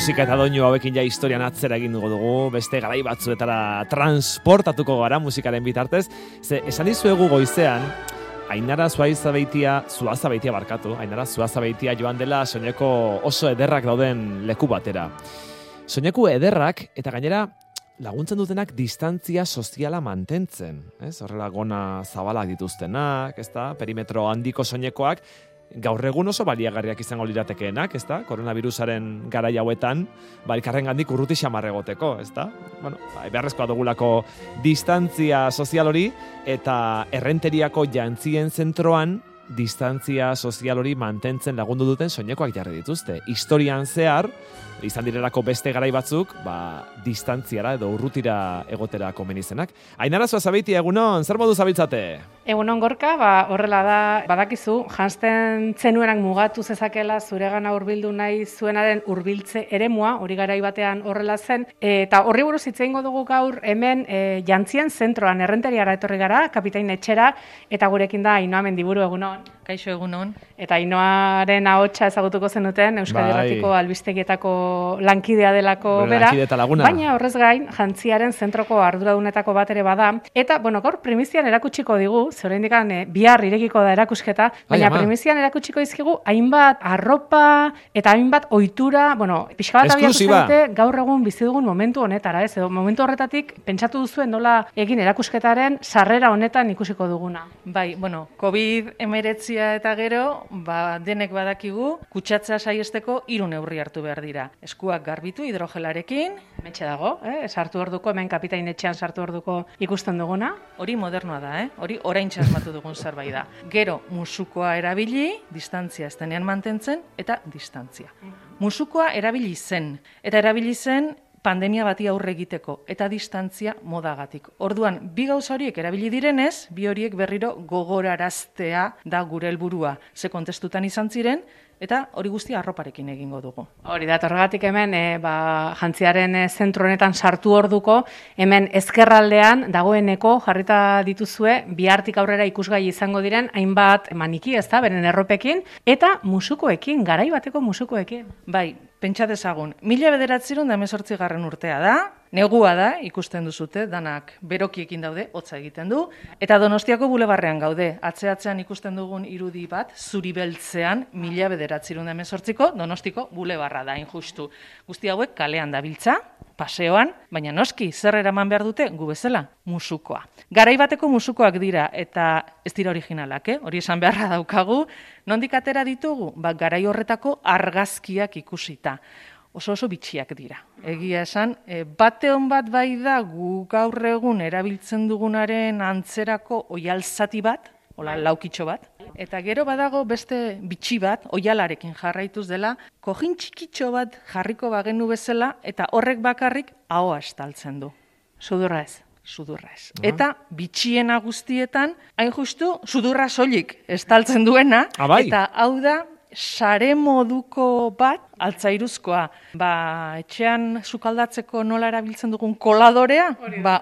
musika eta doinu hauekin ja historian atzera egin dugu, beste garai batzuetara transportatuko gara musikaren bitartez. Esan dizuegu goizean, Ainara Zuazabeitia joan dela soineko oso ederrak dauden leku batera. Soineku ederrak eta gainera laguntzen dutenak distantzia soziala mantentzen, ez? Horrela gona zabalak dituztenak, ezta? Perimetro handiko soinekoak gaur egun oso baliagarriak izango liratekeenak, ezta? Koronavirusaren garai hauetan, elkarrengandik urruti xamar egoteko, ezta? Bueno, beharrezkoa dugulako distantzia sozial hori eta errenteriako jantzien zentroan distantzia sozial hori mantentzen lagundu duten soinekoak jarri dituzte. Historian zehar, izan direlako beste garai batzuk, distantziara edo urrutira egotera komeni zenak. Ainara Zuazabeitia, egunon, zer modu zabiltzate? Egunon Gorka, horrela da, badakizu, janzten zenuenak mugatu zezakela zuregana hurbildu nahi zuenaren hurbiltze eremua, hori garai batean horrela zen, eta horri buruz hitz egingo dugu gaur hemen jantzien zentroan errenteriara etorri gara, kapitain etxera, eta gurekin da Ainhoa Mendiburu, egunon. Kaixo, egunon. Eta Ainhoaren ahotsa ezagutuko zenuten, Euskadi Irratiko albistegietako lankidea delako bera, baina horrez gain, jantziaren zentroko arduradunetako bat ere bada, eta, gaur primizian erakutsiko digu, zure indikan bihar irekiko da erakusketa, baina primizian erakutsiko izkigu hainbat arropa eta hainbat ohitura, pixka bat abiatu zaite gaur egun bizi dugun momentu honetara, ez? Edo momentu horretatik pentsatu duzuen nola egin erakusketaren sarrera honetan ikusiko duguna. Bai, COVID-19 eta gero, denek badakigu, kutsatzea saiesteko 3 neurri hartu behar dira. Eskuak garbitu hidrogelarekin, metxe dago, sartu orduko, hemen kapitain etxean sartu orduko ikusten duguna. Hori modernoa da, hori orain txasmatu dugun zerbait da. Gero, musukoa erabili, distantzia ez denean mantentzen, eta distantzia. Musukoa erabili zen pandemia bati aurre egiteko, eta distantzia modagatik. Orduan, bi gauza horiek erabili direnez, bi horiek berriro gogoraraztea da gure helburua. Ze kontestutan izan ziren, eta hori guztia arroparekin egingo dugu. Hori da, horregatik hemen, jantziaren zentro honetan sartu orduko, hemen ezkerraldean dagoeneko jarrita dituzue, bihartik aurrera ikusgai izango diren, hainbat maniki, ez da, beren erropekin, eta musukoekin, garai bateko musukoekin. Bai, pentsa dezagun, 1918 urtea da, negua da, ikusten duzute, danak berokiekin daude, hotza egiten du, eta Donostiako bulebarrean gaude, atzean ikusten dugun irudi bat, zuri beltzean, 1918ko Donostiko bulebarra da, injustu. Guzti hauek kalean dabiltza, paseoan, baina noski, zer eraman behar dute, gu bezala, musukoa. Garai bateko musukoak dira, eta ez dira originalak, hori esan beharra daukagu, nondik atera ditugu, garai horretako argazkiak ikusita. Oso bitxiak dira. Egia esan, bate hon bat bai da gu gaur egun erabiltzen dugunaren antzerako oihalzati bat, laukitxo bat, eta gero badago beste bitxi bat, oihalarekin jarraituz dela, kojin txikitxo bat jarriko bagenu bezala, eta horrek bakarrik ahoa estaltzen du. Sudurra ez. Eta bitxiena guztietan, hain justu, sudurra soilik estaltzen duena, eta hau da, sare moduko bat, altzairuzkoa, etxean sukaldatzeko nola erabiltzen dugun koladorea,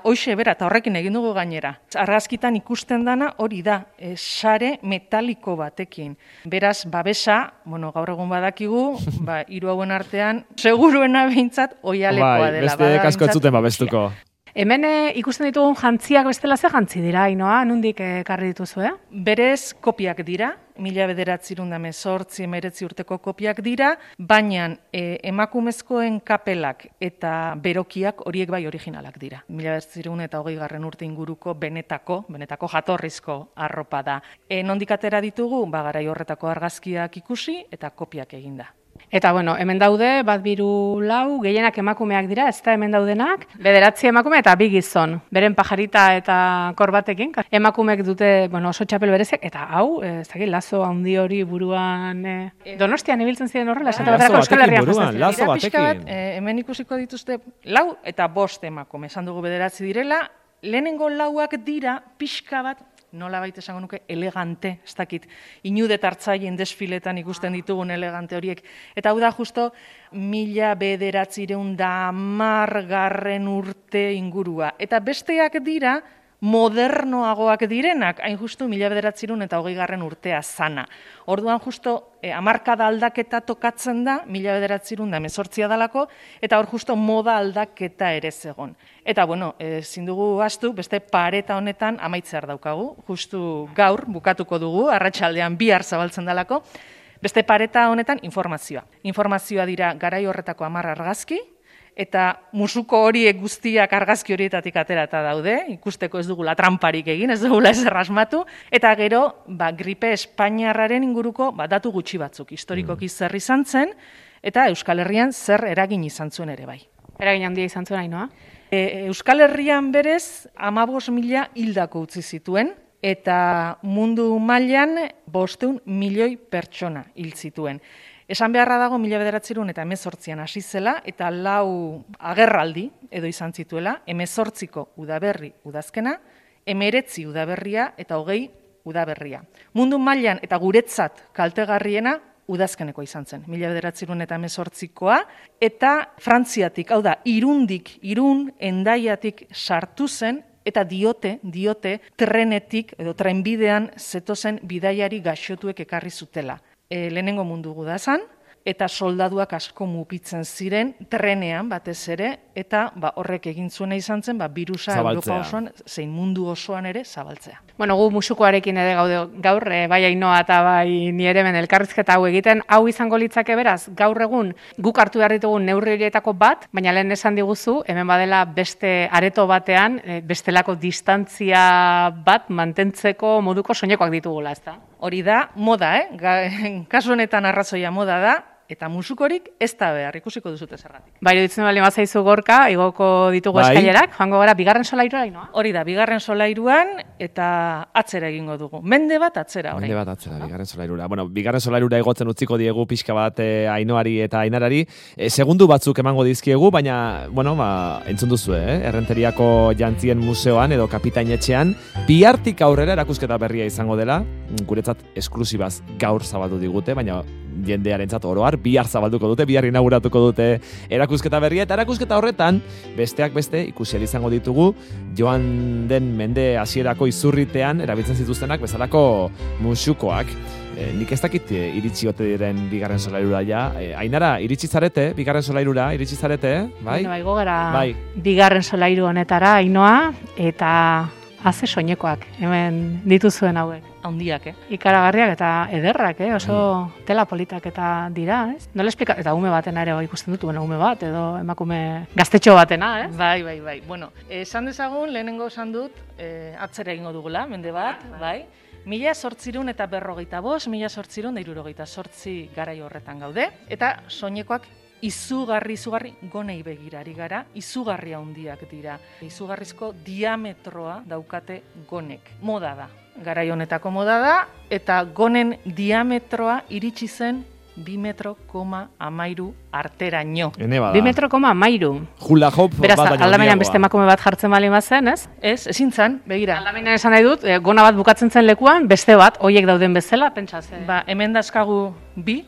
hoxe bera, eta horrekin egin dugu gainera. Argazkitan ikusten dana hori da, sare metaliko batekin. Beraz, babesa, gaur egun badakigu, 3 hauen artean, seguruena behintzat, oihalekoa dela. Beste kasko ez zuten babestuko. Hemen ikusten ditugun jantziak bestela ze jantzi dira, Ainhoa, nondik ekarri dituzu, Berez, kopiak dira, 1918 urteko kopiak dira, baina emakumezkoen kapelak eta berokiak horiek bai originalak dira. 1920 urte inguruko benetako jatorrizko arropa da. Nondik atera ditugu, garai horretako argazkiak ikusi eta kopiak eginda. Eta, hemen daude, 1, 2, 3, 4, gehienak emakumeak dira, ez da hemen daudenak, 9 emakume eta 2 gizon, beren pajarita eta korbatekin. Emakumeek dute, oso txapel berezek, eta hau, lazo handi hori buruan, Donostian ibiltzen ziren horrela, lazo batekin. Hemen ikusiko dituzte 4 eta 5 emakume, esan dugu 9 direla, lehenengo 4ak dira pixka bat, nola baita esango nuke, elegante, ez dakit, inudet hartzaien desfiletan ikusten ditugun elegante horiek. Eta hau da justo 1910 urte ingurua. Eta besteak dira modernoagoak direnak, hain justu 1920 urtea zana. Orduan justo hamarkada aldaketa tokatzen da 1918 dalako, eta hor justo moda aldaketa ere zegon. Eta bueno, ezin dugu ahaztu, beste pareta honetan amaitzear daukagu, justu gaur bukatuko dugu, arratsaldean bihar zabaltzen dalako, beste pareta honetan informazioa. Informazioa dira garai horretako 10 argazki, eta musuko horiek guztiak argazki horietatik aterata daude, ikusteko ez dugula tramparik egin, ez dugula ezer asmatu, eta gero gripe espainiarraren inguruko datu gutxi batzuk, historikoki zer izan zen, eta Euskal Herrian zer eragin izan zuen ere bai. Eragin handia izan zuen, Ainhoa? Euskal Herrian berez 15.000 hildako utzi zituen, eta mundu mailan 500 milioi pertsona hil zituen. Esan beharra dago 1918an hasi zela eta 4 agerraldi edo izan zituela, 18ko udaberri udazkena, 19 udaberria eta 20 udaberria. Mundu mailan eta guretzat kaltegarriena udazkeneko izan zen, 1918koa, eta Frantziatik, hau da, Irun, Hendaiatik sartu zen, eta diote trenetik edo trenbidean zetozen bidaiari gaixotuek ekarri zutela. Lehenengo mundu gudazan, eta soldaduak asko mugitzen ziren trenean batez ere, eta horrek egin zuena izan zen, birusa Europa osoan, zein mundu osoan ere zabaltzea. Bueno, gu musukoarekin ere gaude gaur, bai Ainhoa eta bai ni ere hemen elkarrizketa hau egiten, hau izango litzake beraz, gaur egun guk hartu behar ditugun neurri horietako bat, baina lehen esan diguzu, hemen badela beste areto batean, bestelako distantzia bat mantentzeko moduko soinekoak ditugula, ezta? Hori da, moda, kasu honetan arrazoia moda da, eta musukorik ez da behar, ikusiko duzute zergatik. Bai, iruditzen bali mazaizu Gorka, igoko ditugu eskailerak, joango gara, bigarren solairua, Ainhoa? Hori da, bigarren solairuan, eta atzera egingo dugu. Mende bat atzera, orain. Mende bat atzera, bigarren solairura. Bueno, bigarren solairura igotzen utziko diegu pixka bat Ainhoari eta Ainarari. Segundu batzuk emango dizkiegu, baina, bueno, entzun duzu, Errenteriako Jantzien Museoan edo Kapitainetxean, bihartik aurrera erakusketa berria izango dela, guretzat esklusibaz gaur zabaldu digute, baina jendearentzat oroar, bihar zabalduko dute, bihar inauguratuko dute erakusketa berria, eta erakusketa horretan, besteak beste, ikusi izango ditugu, joan den mende hasierako izurritean, erabiltzen zituztenak, bezalako musukoak. Nik ez dakit iritsi ote diren bigarren solairura ja. Ainara, iritsi zarete, bigarren solairura, iritsi zarete, bai? Bueno, baigo gara bigarren solairu honetara, Ainhoa, eta haze soinekoak, hemen dituzuen hauek. Handiak, Ikaragarriak eta ederrak, oso tela politak eta dira, ez? Nola esplika, eta ume batena ere ikusten dut, ume bat, edo emakume gaztetxo batena, ez? Bai. Bueno, esan dezagun, lehenengo esan dut, atzera egingo dugula, mende bat, bai. 1855, 1868 garai horretan gaude, eta soinekoak izugarri gonei begirari gara, izugarri handiak dira. Izugarrizko diametroa daukate gonek. Moda da. Garai honetako moda da, eta gonen diametroa iritsi zen 2,13 arteraino. 2,13. Hula hop bat beraz, aldamenean beste emakume bat jartzen bali mazen, ez? Ezin zan, begira. Aldamenean esan nahi dut, gona bat bukatzen zen lekuan, beste bat, hoiek dauden bezala, pentsaz. Hemen dazkagu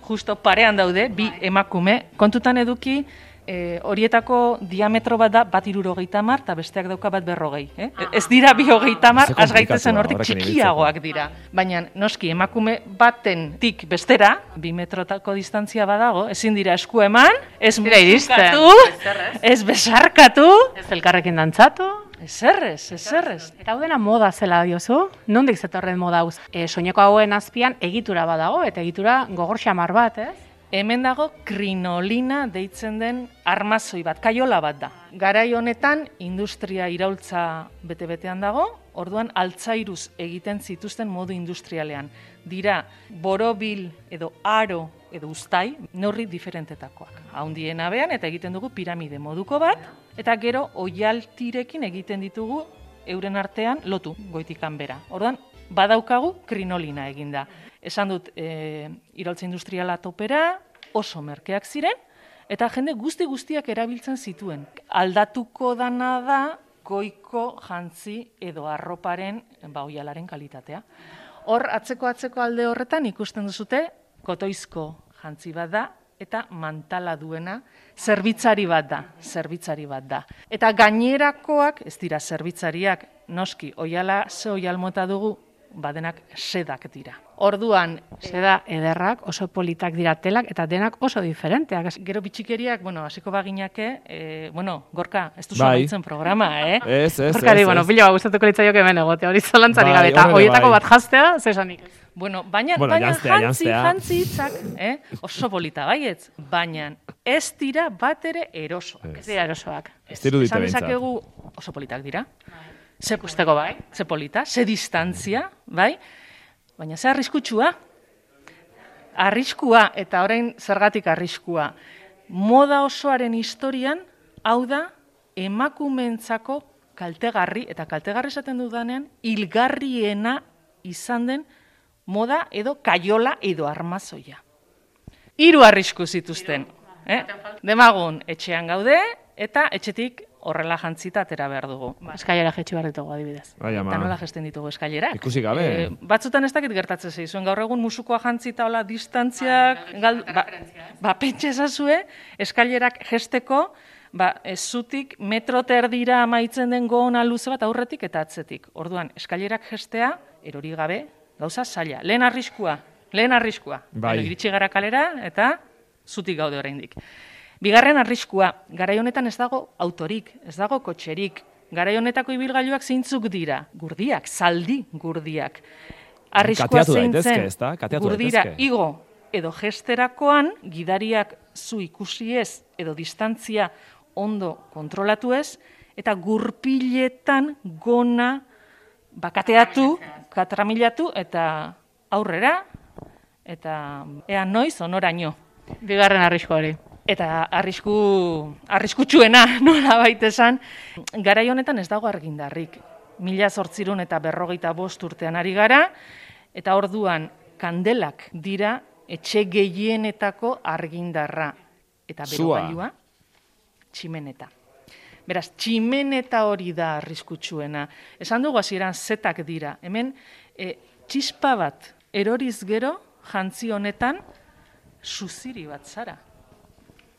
justo parean daude, bi emakume. Kontutan eduki, horietako diametro bat da 1,70 eta besteak dauka 1,40. Ez dira 2,30, az gaitezen hortik txikiagoak dira. Baina, noski, emakume batentik bestera, 2 metrotako distantzia badago, ezin dira esku eman, ez musikatu, ez besarkatu, ez elkarrekin dantzatu. Ezerrez. Eta hau dena moda zela diozu? Nondik zetorren moda hau? Soineko hauen azpian egitura badago, eta egitura gogor xamar bat, ez? Hemen dago krinolina deitzen den armazoi bat, kaiola bat da. Garai honetan industria iraultza bete-betean dago, orduan altzairuz egiten zituzten modu industrialean. Dira borobil edo aro edo uztai, neurri diferentetakoak. Haundiena bean eta egiten dugu piramide moduko bat, eta gero oialtirekin egiten ditugu euren artean lotu goitikan bera. Orduan, badaukagu krinolina eginda. Esan dut, iraultza industriala topera, oso merkeak ziren, eta jende guztiak erabiltzen zituen. Aldatuko dana da, goiko jantzi edo arroparen, oialaren kalitatea. Hor, atzeko alde horretan ikusten duzute, kotoizko jantzi bat da, eta mantala duena zerbitzari bat da. Eta gainerakoak, ez dira zerbitzariak, noski, oiala ze oial mota dugu, badenak sedak dira. Orduan, seda ederrak, oso politak dira telak, eta denak oso diferenteak. Gero bitxikeriak, hasiko baginake, Gorka, ez duzu amaitzen programa, Ez. Gorkari, pila gustatuko litzaioke hemen egote, hori zolantzari gabe, eta horietako bat jaztea, zesanik. Baina jantzi hitzak, oso polita baietz, baina ez dira bat ere erosoak. Ez dira erosoak. Esan dezakegu oso politak dira. Ze pusteko bai, ze polita, ze distantzia, bai, baina ze arriskutsua. Arriskua, eta orain zergatik arriskua. Moda osoaren historian, hau da, emakumentzako kaltegarri, eta kaltegarri esaten dudanean, hilgarriena izan den moda edo kaiola edo armazoia. 3 arrisku zituzten. Demagun, etxean gaude, eta etxetik horrela jantzita atera behar dugu. Eskailera jetxi behar ditugu adibidez. Eta nola jesten ditugu eskailerak? Ikusi gabe. Batzutan ez dakit gertatzen zeizuen, gaur egun musukoa jantzita hola distantziak, pentsa ezazue, eskailerak jesteko, ez zutik metro terdira amaitzen den goona luze bat aurretik eta atzetik. Orduan, eskailerak jestea, erori gabe, gauza zaila. Lehen arriskua. Iritsi gara kalera eta zutik gaude oraindik. Bigarren arriskua, garai honetan ez dago autorik, ez dago kotxerik. Garai honetako ibilgailuak zeintzuk dira? Gurdiak, zaldi gurdiak. Arriskua zeintzen, gurdira igo edo gesterakoan, gidariak zu ikusi ez edo distantzia ondo kontrolatu ez, eta gurpiletan gona bakateatu, katramilatu eta aurrera, eta ea noiz onoraino. Bigarren arriskua hori. Eta arriskutsuena nola baita esan, garai honetan ez dago argindarrik. 1855 urtean ari gara, eta orduan kandelak dira etxe gehienetako argindarra. Eta berogailua, tximeneta. Beraz, tximeneta hori da arriskutsuena. Esan dugu hasieran zetak dira. Hemen, txispa bat eroriz gero, jantzi honetan, suziri bat zara.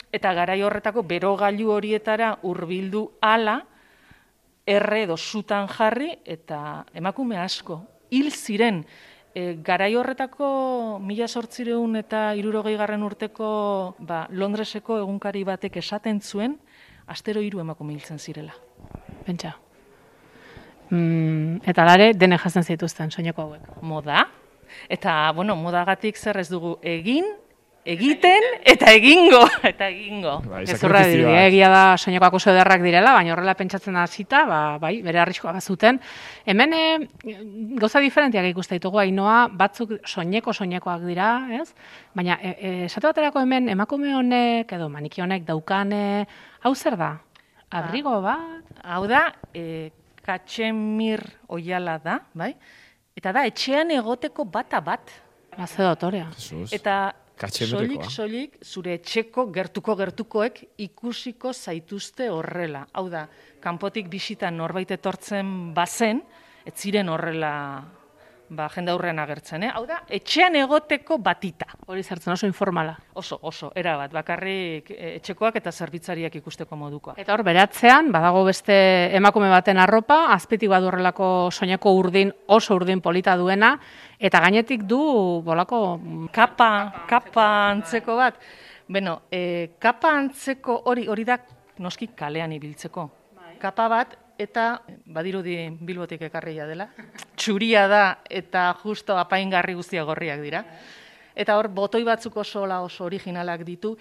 Eta garai horretako berogailu horietara hurbildu ala, erre edo sutan jarri, eta emakume asko. Hil ziren, garai horretako 1860 urteko Londreseko egunkari batek esaten zuen, astero 3 emakume hiltzen zirela. Pentsa. Eta lare, dene jazen zituzten, soineko hauek. Moda. Eta, modagatik zer ez dugu egiten eta egingo. Ezurra egia da soinekoak oso ederrak direla, baina horrela pentsatzen hasita, bere arriskoa bazuten. Hemen gauza diferentiak ikusten ditugu, Ainoa, batzuk soinekoak dira, ez? Baina esate baterako hemen emakume honek edo maniki honek daukane, hau zer da? Abrigo bat? Hau da, katxemir oiala da, bai? Eta da, etxean egoteko bata bat. Ze dotorea. Eta soilik zure etxeko gertukoek ikusiko zaituzte horrela. Hau da, kanpotik bisitan norbait etortzen bazen, ez ziren horrela jende aurrean agertzen. Hau da, etxean egoteko batita. Hori zertzen oso informala. Oso, erabat, bakarrik etxekoak eta zerbitzariak ikusteko modukoa. Eta hor, beratzean, badago beste emakume baten arropa, azpitik badurrelako soineko oso urdin polita duena, eta gainetik du bolako kapa antzeko bat. Beno, kapa antzeko hori da noski kalean ibiltzeko. Kapa bat, eta badirudi Bilbotik ekarria dela. Txuria da eta justo apaingarri guztia gorriak dira. Eta hor, botoi batzuk oso originalak ditu.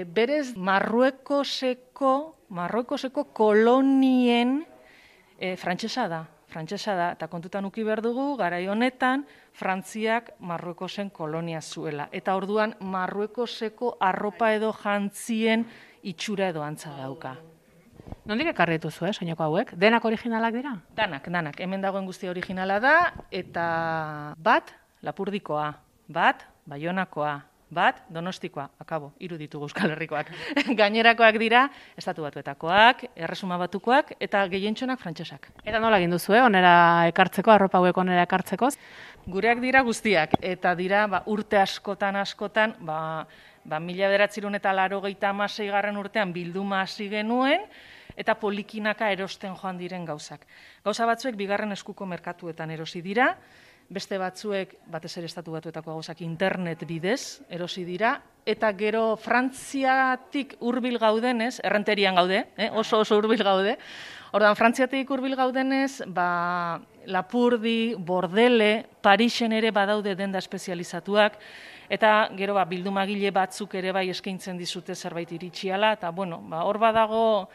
Berez, Marruekoseko kolonien frantsesa da, eta kontutan uki behar dugu, garai honetan, Frantziak Marruekosen kolonia zuela. Eta orduan, Marruekoseko arropa edo jantzien itxura edo antza dauka. Nondik ekarri dituzu, soineko hauek? Denak originalak dira? Danak. Hemen dagoen guztia originala da, eta bat Lapurdikoa, bat Baionakoa, bat Donostikoa, akabo, 3 ditugu Euskal Herrikoak. Gainerakoak dira, Estatu Batuetakoak, Erresuma Batukoak, eta gehientxonak frantsesak. Eta nola egin duzu, onera ekartzeko, arropa hauek onera ekartzeko? Gureak dira guztiak, eta dira urte askotan, 1986 urtean bilduma hasi genuen, eta polikinaka erosten joan diren gauzak. Gauza batzuek bigarren eskuko merkatuetan erosi dira, beste batzuek, batez ere Estatu Batuetako gauzak internet bidez erosi dira, eta gero Frantziatik hurbil gaudenez, errenterian gaude, oso hurbil gaude, ordan Frantziatik hurbil gaudenez, Lapurdi, Bordele, Parisen ere badaude denda espezializatuak, eta gero bildumagile batzuk ere bai eskaintzen dizute zerbait iritsiala, eta hor badago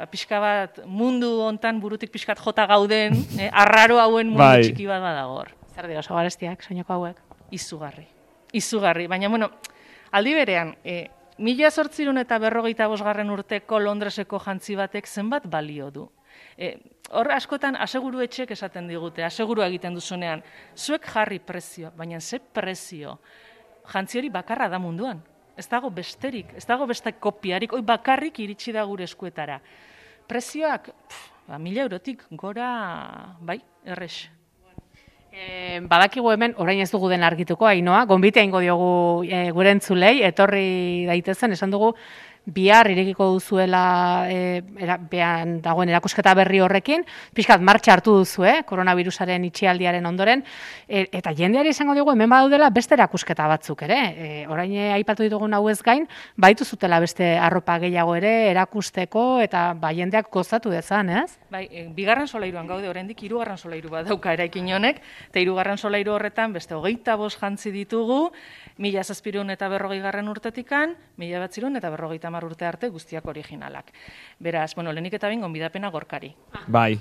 pixka bat mundu hontan burutik pixkat jota gauden, arraro hauen mundu txiki bat badago hor. Zer dira oso garestiak, soineko hauek? Izugarri. Baina, aldi berean, 1855 urteko Londreseko jantzi batek zenbat balio du. Hor askotan aseguru etxek esaten digute, asegurua egiten duzunean, zuek jarri prezio, baina ze prezio, jantzi hori bakarra da munduan. Ez dago besterik, ez dago beste kopiarik, hoi bakarrik iritsi da gure eskuetara. Prezioak, 1.000 eurotik gora, errex. Badakigu hemen, orain ez dugu den argituko, Ainoa, gonbitea ingo diogu gure entzulei, etorri daitezen, esan dugu, bihar irekiko duzuela behan dagoen erakusketa berri horrekin, pixkat martxa hartu duzu, koronavirusaren itxialdiaren ondoren, eta jendeari izango dugu hemen badaudela beste erakusketa batzuk ere. Orain aipatu ditugun hau ez gain, baitu zutela beste arropa gehiago ere erakusteko eta jendeak gozatu dezan, ez? Bigarren solairuan gaude, oraindik 3. solairu bat dauka eraikin honek, eta 3. solairu horretan beste 25 jantzi ditugu, 1740 urtetikan, 1950 urte arte guztiak originalak. Beraz, lehenik eta behin gonbidapena Gorkari. Bai.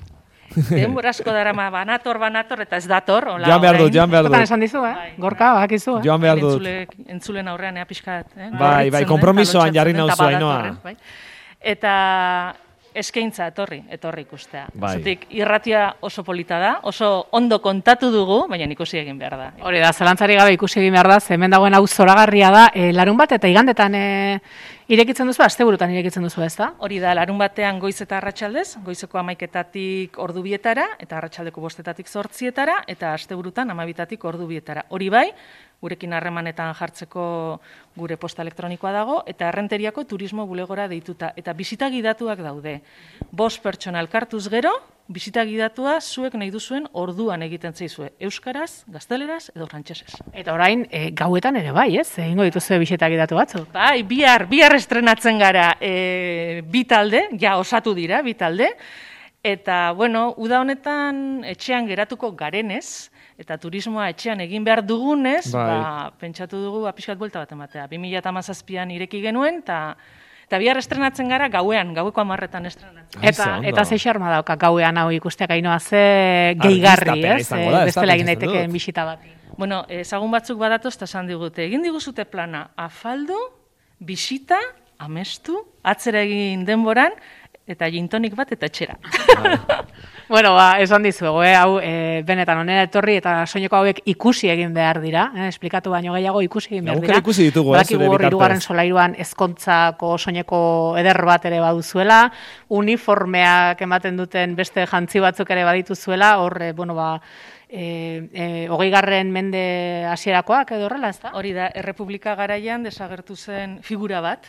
Denbora asko darama banator, eta ez dator. Joan behar dut. Zotan esan dizu, Gorka, bakizu. Joan behar dut. Entzulen aurrean, pixkat. Bai, kompromisoan jarri nauzu, Ainoa. Eta eskaintza etorri ikustea. Bai. Zutik, irratia oso polita da, oso ondo kontatu dugu, baina ikusi egin behar da. Hori da, zalantzari gabe ikusi egin behar da, hemen dagoen hau zoragarria da, larun bat eta igandetan irekitzen duzu, asteburutan irekitzen duzu, ez da? Hori da, larun batean goiz eta arratsaldez, goizeko 11:00 ordu 2:00 eta arratsaldeko 5:00 8:00 eta asteburutan 12:00 ordu 2:00. Hori bai, gurekin harremanetan jartzeko gure posta elektronikoa dago, eta Errenteriako turismo bulegora deituta. Eta bisita gidatuak daude. 5 pertsona elkartuz gero, bisita gidatua zuek nahi duzuen orduan egiten zaizue. Euskaraz, gazteleraz edo frantsesez. Eta orain, gauetan ere bai, ez? Egingo dituzue bisita gidatu batzu. Bai, bihar estrenatzen gara bi talde, osatu dira, bi talde. Eta, uda honetan etxean geratuko garenez, eta turismoa etxean egin behar dugunez, pentsatu dugu pixkat buelta bat ematea. 2017an ireki genuen, eta bihar estrenatzen gara gauean, gaueko 10:00 estrenatzen. Eta ze xarma dauka gauean hau ikusteak, Ainoa, ze gehigarri, ez? Bestela egin daitekeen bisita bat. Ezagun batzuk badatoz, eta esan digute, egin diguzute plana afaldu, bisita, amestu, atzera egin denboran, eta gintonik bat eta etxera. Esan dizuegu, hau benetan onera etorri eta soineko hauek ikusi egin behar dira, esplikatu baino gehiago ikusi egin behar dira. Ikusi ditugu, zure bitartez. 3. solairuan ezkontzako soineko eder bat ere baduzuela, uniformeak ematen duten beste jantzi batzuk ere badituzuela, hor, 20. mende hasierakoak edo horrela, ez da? Hori da, Errepublika garaian desagertu zen figura bat,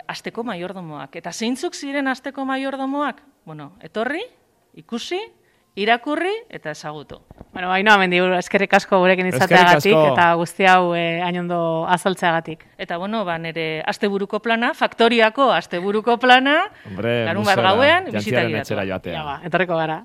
asteko maiordomoak. Eta zeintzuk ziren asteko maiordomoak? Etorri, ikusi, irakurri eta ezagutu. Ainoa mendi, eskerrik asko gurekin izateagatik eta guzti hau hain ondo azaltzeagatik. Eta nire asteburuko plana, faktoriako asteburuko plana, larun bat gauean, bisita gidatua. Etorriko gara.